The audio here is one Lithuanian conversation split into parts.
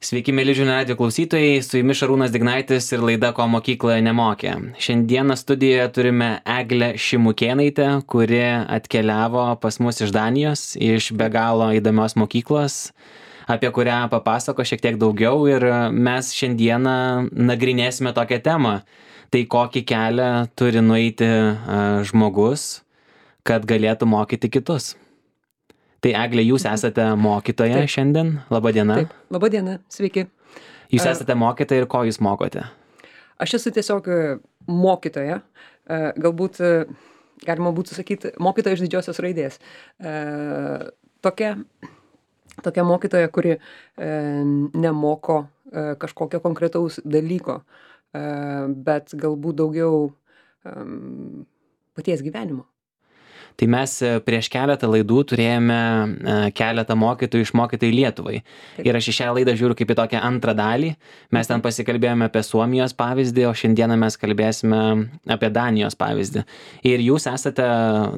Sveiki, mėly žinių radijo klausytojai, su jumis Šarūnas Dignaitis ir laida Ko mokykloje nemokė. Šiandieną studijoje turime Eglę Šimukėnaitę, kuri atkeliavo pas mus iš Danijos, iš be galo įdomios mokyklos, apie kurią papasako šiek tiek daugiau ir mes šiandieną nagrinėsime tokią temą. Tai kokį kelią turi nueiti žmogus, kad galėtų mokyti kitus. Tai Eglė, jūs esate mokytoja šiandien. Labą dieną. Taip, labą dieną, sveiki. Jūs esate mokytoja ir ko jūs mokote? Aš esu tiesiog mokytoja, galbūt galima būtų sakyti mokytoja iš didžiosios raidės. Tokia mokytoja, kuri nemoko kažkokio konkretaus dalyko, bet galbūt daugiau paties gyvenimo. Tai mes prieš keletą laidų turėjome keletą mokytojų išmokytai Lietuvai. Taip. Ir aš į šią laidą žiūriu kaip į tokią antrą dalį. Mes ten pasikalbėjome apie Suomijos pavyzdį, o šiandieną mes kalbėsime apie Danijos pavyzdį. Ir jūs esate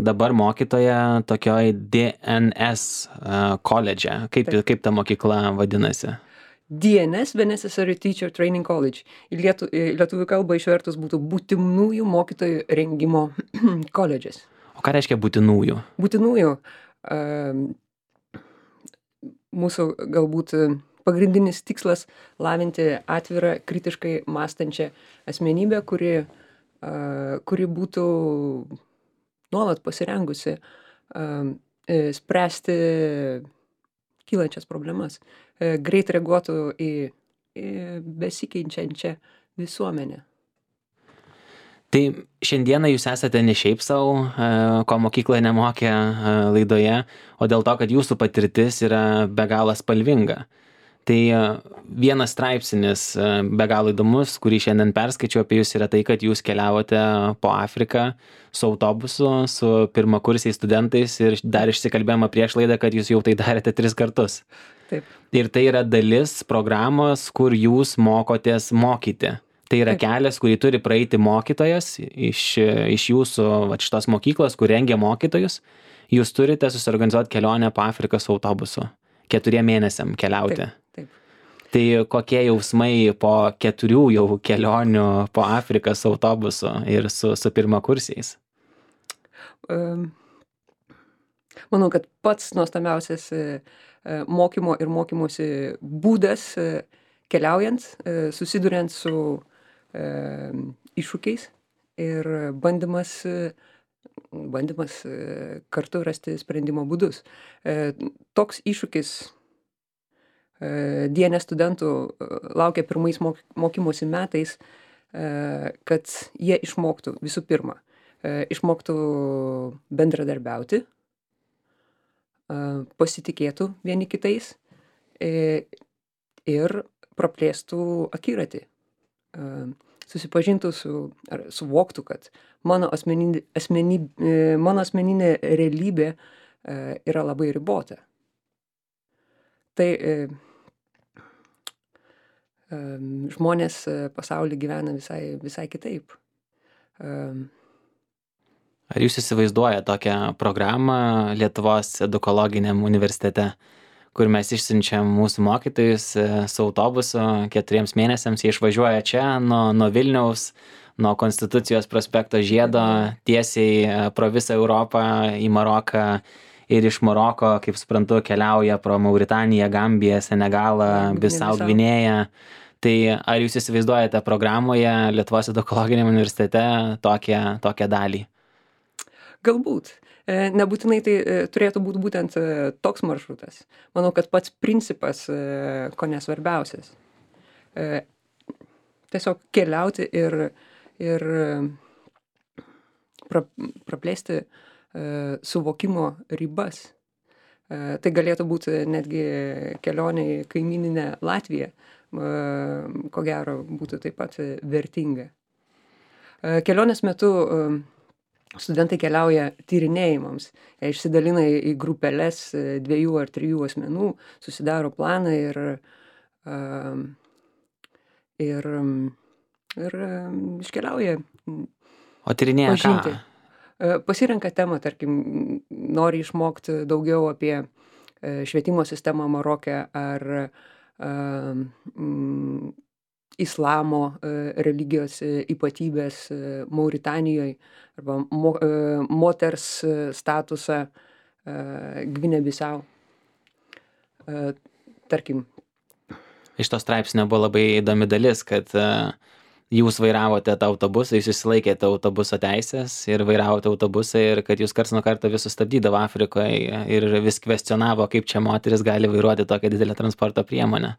dabar mokytoja tokioj DNS koledže. Kaip ta mokykla vadinasi? DNS, Necessary Teacher Training College. Į lietuvių kalbą išvertus būtų būtinųjų mokytojų rengimo koledžas. O ką reiškia būtinųjų? Būtinųjų. Mūsų galbūt pagrindinis tikslas lavinti atvirą, kritiškai mąstančią asmenybę, kuri būtų nuolat pasirengusi spręsti kylančias problemas, greit reaguotų į besikeičiančią visuomenę. Tai šiandieną jūs esate ne šiaip savo, ko mokykloje nemokė laidoje, o dėl to, kad jūsų patirtis yra be galo spalvinga. Tai vienas straipsnis be galo įdomus, kurį šiandien perskaičiau apie jūs, yra tai, kad jūs keliavote po Afriką su autobusu, su pirmakursiais studentais ir dar išsikalbėjome prieš laidą, kad jūs jau tai darėte 3 kartus. Taip. Ir tai yra dalis programos, kur jūs mokotės mokyti. Tai yra kelias, kurį turi praeiti mokytojas iš jūsų šitos mokyklos, kur rengia mokytojus. Jūs turite susiorganizuoti kelionę po Afriką su autobusu. 4 mėnesiam keliauti. Taip. Tai kokie jausmai po 4 jau kelionių po Afriką su autobusu ir su pirmakursiais? Manau, kad pats nuostabiausias mokymo ir mokymosi būdas keliaujant, susiduriant su iššūkiais ir bandymas kartu rasti sprendimo būdus. Toks iššūkis DNS studentų laukia pirmais mokymosi metais, kad jie išmoktų visų pirma, išmoktų bendradarbiauti, pasitikėtų vieni kitais ir praplėstų akiratį. Susipažintų ar suvoktų, kad mano asmeninė realybė yra labai ribota. Tai žmonės pasaulyje gyvena visai kitaip. Ar jūs įsivaizduojate tokią programą Lietuvos edukologiniam universitete, kur mes išsiunčiam mūsų mokytojus su autobusu 4 mėnesiams, jie išvažiuoja čia nuo Vilniaus, nuo Konstitucijos prospekto žiedo, tiesiai pro visą Europą į Maroką ir iš Maroko, kaip suprantu, keliauja pro Mauritaniją, Gambiją, Senegalą, Bisau Gvinėją. Tai ar jūs įsivaizduojate programoje Lietuvos edukologiniam universitete tokią dalį? Galbūt. Nebūtinai tai turėtų būti būtent toks maršrutas. Manau, kad pats principas, ko nesvarbiausias. Tiesiog keliauti ir praplėsti suvokimo ribas. Tai galėtų būti netgi kelionė į kaimyninę Latviją, ko gero būtų taip pat vertinga. Kelionės metu studentai keliauja tyrinėjimams, išsidalina į grupeles 2 ar 3 asmenų, susidaro planą ir iškeliauja. O tyrinėja pažinti. ką? Pasirenka temą, tarkim, nori išmokti daugiau apie švietimo sistemą Maroke ar islamo religijos ypatybės Mauritanijoje arba moters statusą Gvinė Bisau. Tarkim. Iš to straipsnio buvo labai įdomi dalis, kad jūs vairavote tą autobusą, jūs išsilaikėte autobuso teisės ir vairavote autobusą ir kad jūs karts nuo karto vis sustabdydavo Afrikoje ir vis kvestionavo, kaip čia moteris gali vairuoti tokią didelę transporto priemonę.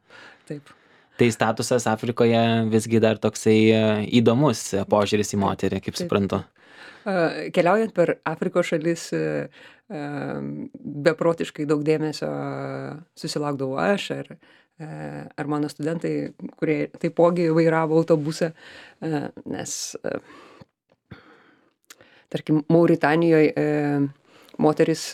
Taip. Tai statusas Afrikoje visgi dar toksai įdomus požiūris į moterį, kaip suprantu. Keliaujant per Afrikos šalis, beprotiškai daug dėmesio susilaukdavau aš ar mano studentai, kurie taipogi vairavo autobusą, nes, tarkim, Mauritanijoje moteris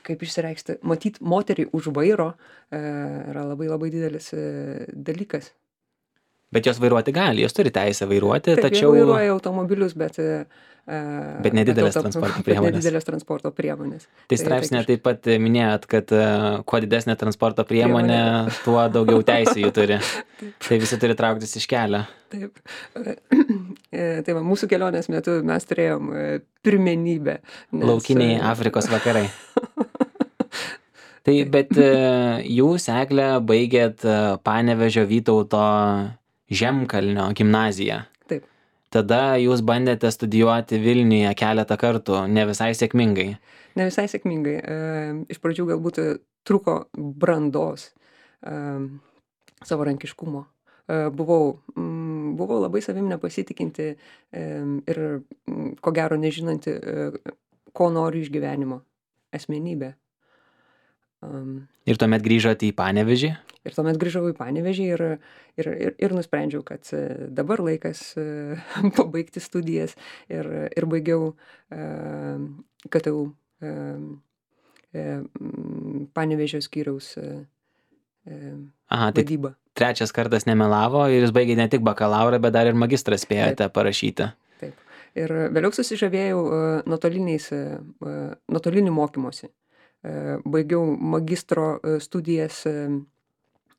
kaip išsireikšti, matyt, moterį už vairo yra labai labai didelis dalykas. Bet jos vairuoti gali, jos turi teisę vairuoti, Taip, tačiau... jie vairuoja automobilius, bet nedidelės transporto priemonės. Bet nedidelės transporto priemonės. Tai straipsnė taip pat minėjot, kad kuo didesnė transporto priemonė, tuo daugiau teisų jų turi. Tai visi turi trauktis iš kelio. Taip. Tai va, mūsų kelionės metu mes turėjom pirmenybę. Laukiniai Afrikos vakarai. Tai, bet jūs, Egle, baigėt Panevėžio Vytauto Žemkalnio gimnaziją. Taip. Tada jūs bandėte studijuoti Vilniuje keletą kartų, ne visai sėkmingai. Ne visai sėkmingai. Iš pradžių galbūt truko brandos, savarankiškumo. Buvau labai savim nepasitikinti ir ko gero nežinanti, ko noriu iš gyvenimo, asmenybė. Ir tuomet grįžote į Panevėžį? Ir tuomet grįžau į Panevėžį ir nusprendžiau, kad dabar laikas pabaigti studijas ir baigiau KTU Panevėžio skyriaus vadybą. Tai trečias kartas nemelavo ir jūs baigėte ne tik bakalaurą, bet dar ir magistrą spėjote parašyti. Taip. Ir vėliau susižavėjau nuotolinį mokymosi. Baigiau magistro studijas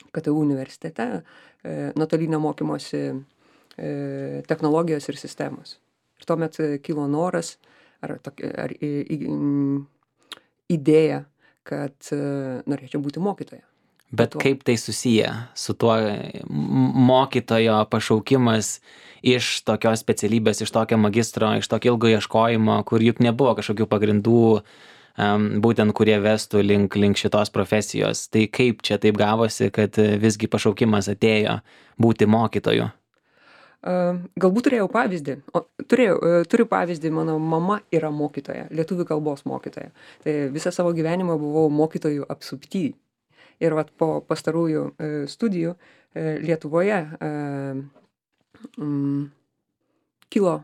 KTU universitete, nuotolinio mokymosi technologijos ir sistemos. Ir tuomet kilo noras ar idėja, kad norėčiau būti mokytoja. Bet kaip tai susiję su tuo mokytojo pašaukimas iš tokios specialybės, iš tokio magistro, iš tokio ilgo ieškojimo, kur juk nebuvo kažkokių pagrindų, būtent kurie vestų link šitos profesijos. Tai kaip čia taip gavosi, kad visgi pašaukimas atėjo būti mokytoju? Galbūt turėjau pavyzdį. Turiu pavyzdį, mano mama yra mokytoja, lietuvių kalbos mokytoja. Tai visą savo gyvenimą buvau mokytojų apsupty. Ir vat po pastarųjų studijų Lietuvoje kilo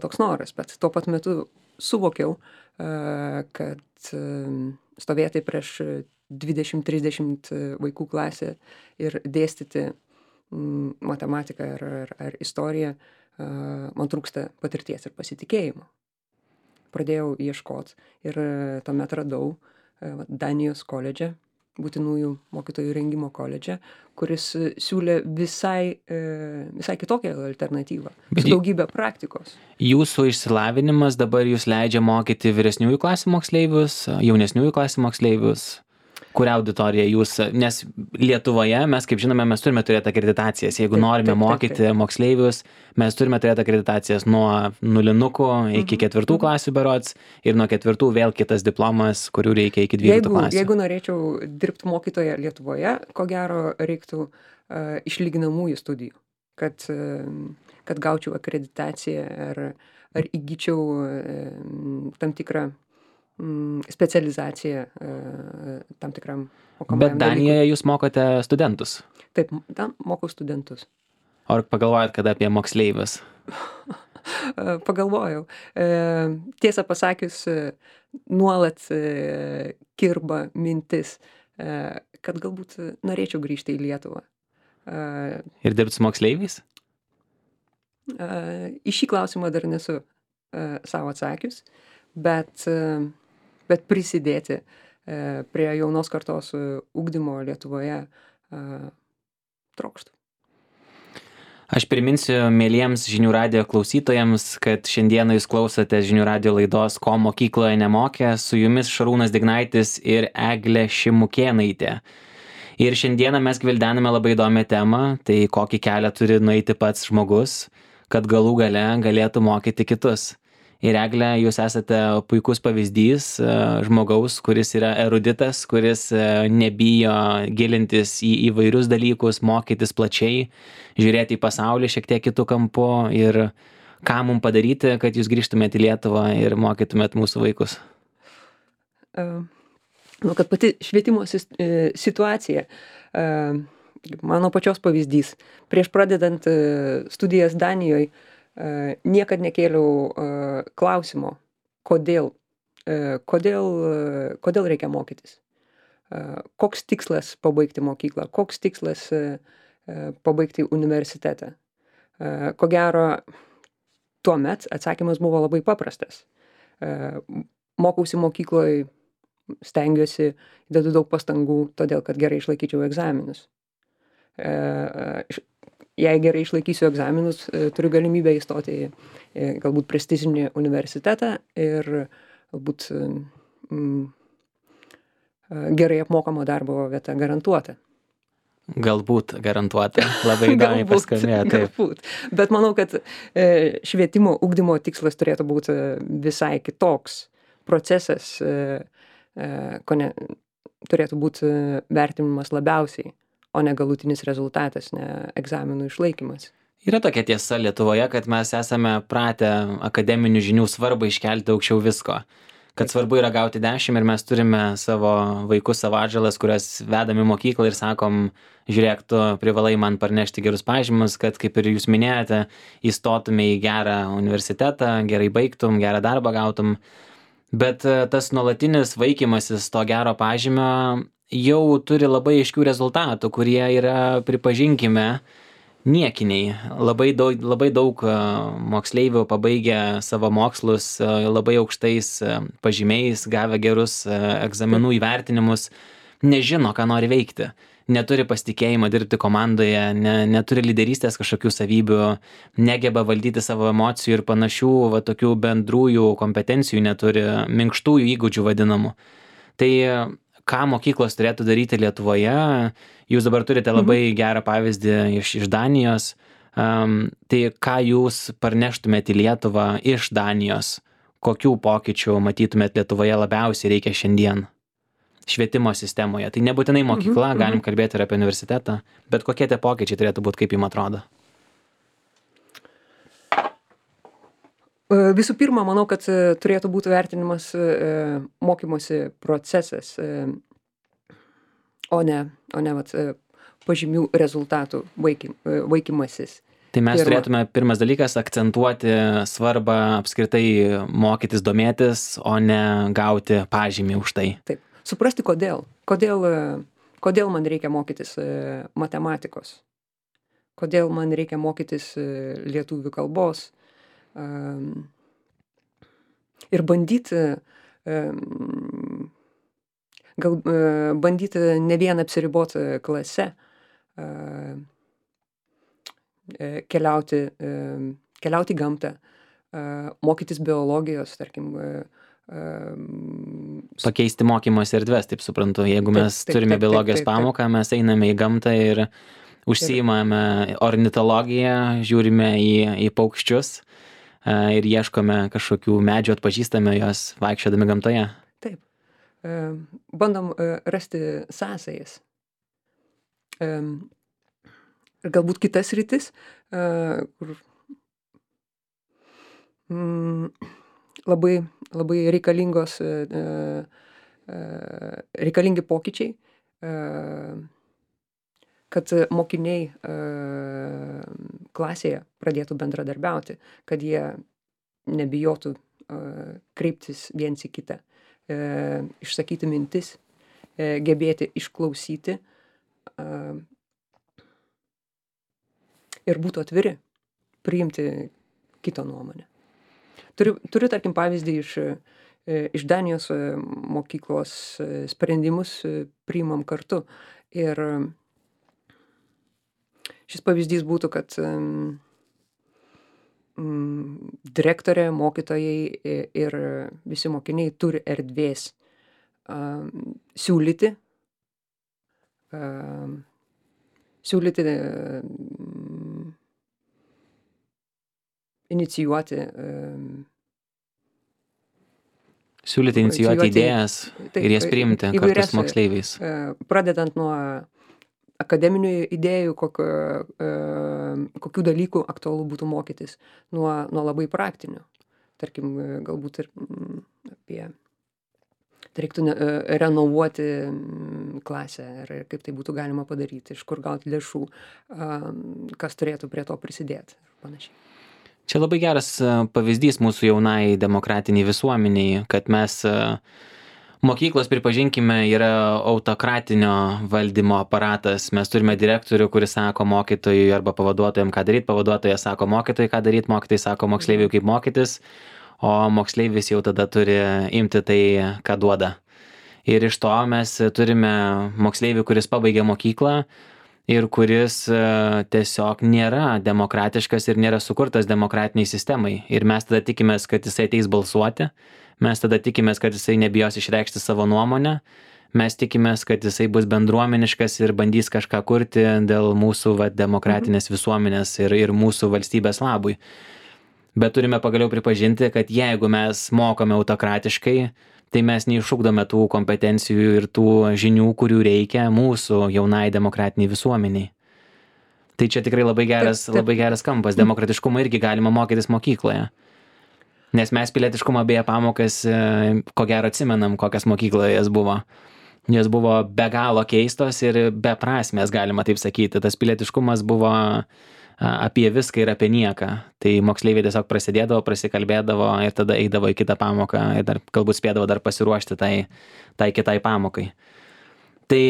toks noras, bet tuo pat metu suvokiau, kad stovėti prieš 20-30 vaikų klasę ir dėstyti matematiką ar istoriją, man trūksta patirties ir pasitikėjimo. Pradėjau ieškoti ir tuomet radau Danijos koledže, būtinųjų mokytojų rengimo koledže, kuris siūlė visai kitokią alternatyvą, daugybę praktikos. Jūsų išsilavinimas dabar jūs leidžia mokyti vyresniųjų klasių moksleivius, jaunesniųjų klasių moksleivius? Kurią auditoriją jūs, nes Lietuvoje mes, kaip žinome, mes turime turėti akreditacijas. Jeigu norime mokyti moksleivius, mes turime turėti akreditacijas nuo nulinukų iki 4 klasių berods ir nuo 4 vėl kitas diplomas, kurių reikia iki 12 klasių. Jeigu norėčiau dirbti mokytoje Lietuvoje, ko gero reiktų išlyginamųjų studijų, kad gaučiau akreditaciją ar įgyčiau tam tikrą specializacija tam tikram mokomajam dalykui. Bet Danijoje jūs mokote studentus? Taip, ten mokau studentus. Ar pagalvojat kada apie moksleivius? Pagalvojau. Tiesą pasakius, nuolat kirba mintis, kad galbūt norėčiau grįžti į Lietuvą. Ir dirbti su moksleiviais? Į šį klausimą dar nesu savo atsakius, bet prisidėti prie jaunos kartos ugdymo Lietuvoje trokštų. Aš priminsiu mieliems žinių radijo klausytojams, kad šiandieną jūs klausote žinių radijo laidos Ko mokykloje nemokė, su jumis Šarūnas Dignaitis ir Eglė Šimukėnaitė. Ir šiandieną mes gvildename labai įdomią temą, tai kokį kelią turi nueiti pats žmogus, kad galų gale galėtų mokyti kitus. Ir Eglė, jūs esate puikus pavyzdys žmogaus, kuris yra eruditas, kuris nebijo gilintis į įvairius dalykus, mokytis plačiai, žiūrėti į pasaulį šiek tiek kitų kampų ir ką mums padaryti, kad jūs grįžtumėte į Lietuvą ir mokytumėt mūsų vaikus. Kad pati švietimo situacija, mano pačios pavyzdys, prieš pradedant studijas Danijoje, niekad nekėliau klausimo, kodėl reikia mokytis. Koks tikslas pabaigti mokyklą, koks tikslas pabaigti universitetą. Ko gero, tuomet atsakymas buvo labai paprastas. Mokausi mokykloje, stengiuosi, dedu daug pastangų, todėl kad gerai išlaikyčiau egzaminus. Jei gerai išlaikysiu egzaminus, turiu galimybę įstoti į galbūt prestižinį universitetą ir galbūt gerai apmokamo darbo vieta garantuota. Galbūt garantuota. Labai įdomiai paskambėjo. Galbūt. Bet manau, kad švietimo ugdymo tikslas turėtų būti visai kitoks procesas, turėtų būti vertinimas labiausiai, o ne galutinis rezultatas, ne egzaminų išlaikymas. Yra tokia tiesa Lietuvoje, kad mes esame pratę akademinių žinių svarbą iškelti aukščiau visko. Kad svarbu yra gauti 10 ir mes turime savo vaikus, savo atžalas, kurias vedam į mokyklą ir sakom, žiūrėk, tu privalai man parnešti gerus pažymus, kad kaip ir jūs minėjote, įstotume į gerą universitetą, gerai baigtum, gerą darbą gautum. Bet tas nuolatinis vaikymasis to gero pažymio jau turi labai aiškių rezultatų, kurie yra, pripažinkime, niekiniai. Labai daug moksleivių pabaigę savo mokslus labai aukštais pažymiais, gavę gerus egzaminų įvertinimus, nežino, ką nori veikti. Neturi pasitikėjimo dirbti komandoje, neturi lyderystės kažkokių savybių, negeba valdyti savo emocijų ir panašių tokių bendrųjų kompetencijų neturi, minkštųjų įgūdžių vadinamų. Tai ką mokyklos turėtų daryti Lietuvoje, jūs dabar turite labai gerą pavyzdį iš Danijos, tai ką jūs parneštumėte į Lietuvą iš Danijos, kokių pokyčių matytumėte Lietuvoje labiausiai reikia šiandien švietimo sistemoje. Tai nebūtinai mokykla, galim kalbėti ir apie universitetą, bet kokie tie pokyčiai turėtų būti, kaip jums atrodo? Visų pirma, manau, kad turėtų būti vertinimas mokymosi procesas, o ne pažymių rezultatų vaikymasis. Tai mes turėtume, pirmas dalykas, akcentuoti svarbą apskritai mokytis, domėtis, o ne gauti pažymį už tai. Taip. Suprasti kodėl. Kodėl man reikia mokytis matematikos. Kodėl man reikia mokytis lietuvių kalbos. Ir bandyti ne vien apsiriboti klase, keliauti į gamtą, mokytis biologijos, tarkim. Pakeisti mokymosi erdves, taip suprantu. Jeigu mes turime biologijos pamoką, mes einame į gamtą ir užsiimame ornitologiją, žiūrime į paukščius ir ieškome kažkokių medžių, atpažįstame juos vaikščiodami gamtoje. Taip. Bandom rasti sąsajas. Ir galbūt kitas rytis, kur labai reikalingi pokyčiai, kad mokiniai klasėje pradėtų bendradarbiauti, kad jie nebijotų kreiptis viens į kitą, išsakyti mintis, gebėti išklausyti ir būtų atviri priimti kito nuomonę. Turiu tarkim pavyzdį iš Danijos mokyklos sprendimus priimam kartu. Ir šis pavyzdys būtų, kad direktorė, mokytojai ir visi mokiniai turi erdvės siūlyti inicijuoti Siūlyti inicijuoti idėjas ir jas priimti kartu įvairias, su moksleiviais. Pradedant nuo akademinių idėjų, kokių dalykų aktualu būtų mokytis, nuo labai praktinių. Tarkim, galbūt ir apie reiktų renovuoti klasę ir kaip tai būtų galima padaryti, iš kur gauti lėšų, kas turėtų prie to prisidėti ir panašiai. Čia labai geras pavyzdys mūsų jaunai demokratiniai visuomeniai, kad mes mokyklos, pripažinkime, yra autokratinio valdymo aparatas. Mes turime direktorių, kuris sako mokytojui arba pavaduotojam, ką daryti, pavaduotojas sako mokytojui, ką daryti, mokytojai sako moksleiviui, kaip mokytis, o moksleivis jau tada turi imti tai, ką duoda. Ir iš to mes turime moksleivį, kuris pabaigia mokyklą ir kuris tiesiog nėra demokratiškas ir nėra sukurtas demokratiniai sistemai. Ir mes tada tikimės, kad jisai ateis balsuoti, mes tada tikimės, kad jisai nebijos išreikšti savo nuomonę, mes tikimės, kad jisai bus bendruomeniškas ir bandys kažką kurti dėl mūsų demokratinės visuomenės ir mūsų valstybės labui. Bet turime pagaliau pripažinti, kad jeigu mes mokome autokratiškai, tai mes neišugdome tų kompetencijų ir tų žinių, kurių reikia mūsų jaunai demokratiniai visuomeniai. Tai čia tikrai labai geras kampas. Demokratiškumą irgi galima mokytis mokykloje. Nes mes pilietiškumo beje pamokas, ko gero atsimenam, kokias mokykloje jas buvo. Jos buvo be galo keistos ir beprasmės, galima taip sakyti. Tas pilietiškumas buvo apie viską ir apie nieką. Tai moksleiviai tiesiog prasidėdavo, prasikalbėdavo ir tada eidavo į kitą pamoką ir dar galbūt spėdavo dar pasiruošti tai kitai pamokai. Tai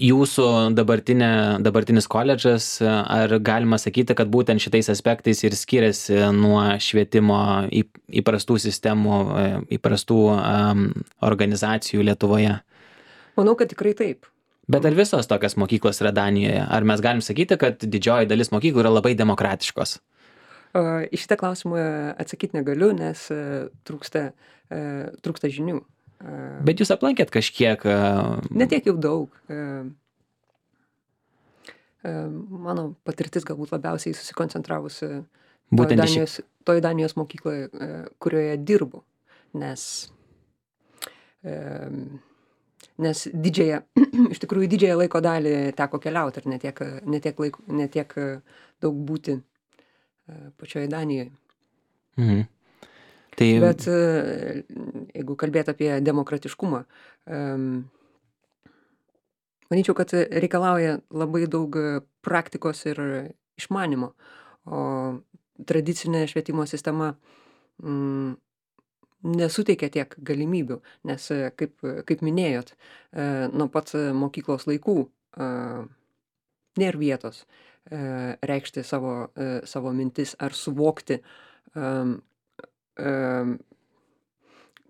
jūsų dabartinis koledžas, ar galima sakyti, kad būtent šitais aspektais ir skiriasi nuo švietimo įprastų sistemų, įprastų organizacijų Lietuvoje? Manau, kad tikrai taip. Bet ar visos tokios mokyklos yra Danijoje? Ar mes galim sakyti, kad didžioji dalis mokyklų yra labai demokratiškos? Į šitą klausimą atsakyti negaliu, nes trūksta žinių. Bet jūs aplankėt kažkiek? Ne tiek jau daug. Mano patirtis galbūt labiausiai susikoncentravusi toj Danijos mokykloje, kurioje dirbu, nes iš tikrųjų didžiąją laiko dalį teko keliauti ir ne tiek daug būti pačioje Danijoje. Bet jeigu kalbėt apie demokratiškumą, manyčiau, kad reikalauja labai daug praktikos ir išmanimo, o tradicinė švietimo sistema nesuteikia tiek galimybių, nes, kaip minėjot, nuo pat mokyklos laikų nėra vietos reikšti savo mintis ar suvokti,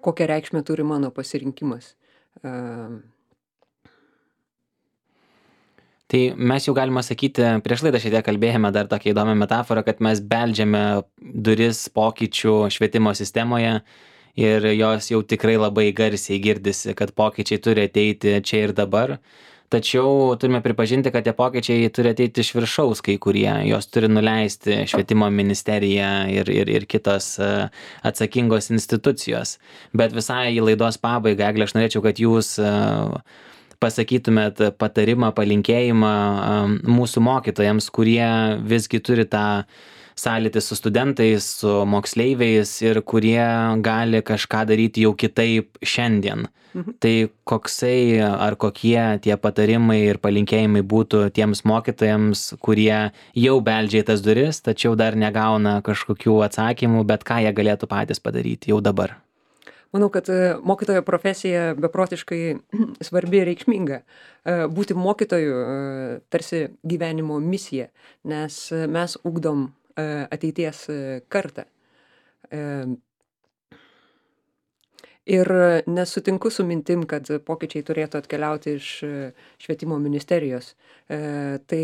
kokią reikšmę turi mano pasirinkimas. Tai mes jau galima sakyti, prieš laidą šiek tiek kalbėjome dar tokią įdomią metaforą, kad mes beldžiame duris pokyčių švietimo sistemoje ir jos jau tikrai labai garsiai girdisi, kad pokyčiai turi ateiti čia ir dabar. Tačiau turime pripažinti, kad tie pokyčiai turi ateiti iš viršaus kai kurie, jos turi nuleisti švietimo ministerija ir kitos atsakingos institucijos. Bet visai į laidos pabaigą, Egle, aš norėčiau, kad jūs pasakytumėt patarimą, palinkėjimą mūsų mokytojams, kurie visgi turi tą sąlytį su studentais, su moksleiviais ir kurie gali kažką daryti jau kitaip šiandien. Tai koksai ar kokie tie patarimai ir palinkėjimai būtų tiems mokytojams, kurie jau beldžia į tas duris, tačiau dar negauna kažkokių atsakymų, bet ką jie galėtų patys padaryti jau dabar? Manau, kad mokytojo profesija beprotiškai svarbi ir reikšminga. Būti mokytoju tarsi gyvenimo misija, nes mes ugdom ateities kartą. Ir nesutinku su mintim, kad pokyčiai turėtų atkeliauti iš švietimo ministerijos. Tai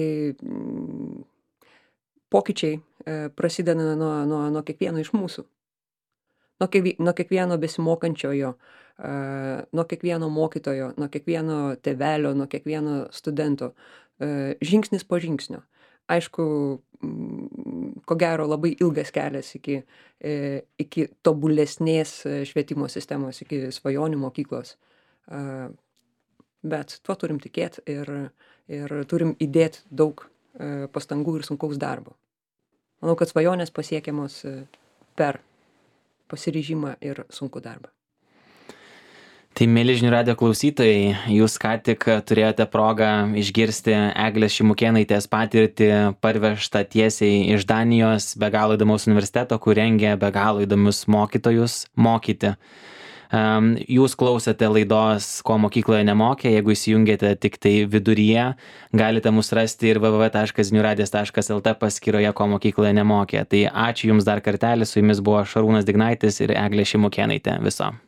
pokyčiai prasideda nuo kiekvieno iš mūsų. Nuo kiekvieno besimokančiojo, nuo kiekvieno mokytojo, nuo kiekvieno tėvelio, nuo kiekvieno studento. Žingsnis po žingsnio. Aišku, ko gero labai ilgas kelias iki tobulesnės švietimo sistemos, iki svajonių mokyklos. Bet tuo turim tikėti ir turim įdėti daug pastangų ir sunkaus darbo. Manau, kad svajonės pasiekiamos per pasiryžimą ir sunkų darbą. Tai, mėly žinių radijo klausytojai, jūs ką tik turėjote progą išgirsti Eglės Šimukėnaitės patirtį parvežtą tiesiai iš Danijos be galo įdomaus universiteto, kur rengia be galo įdomius mokytojus mokyti. Jūs klausėte laidos Ko mokykloje nemokė, jeigu įsijungėte tik tai viduryje, galite mus rasti ir www.žiniųradijas.lt paskyroje Ko mokykloje nemokė. Tai ačiū Jums dar kartelį, su Jumis buvo Šarūnas Dignaitis ir Eglė Šimukėnaitė. Viso.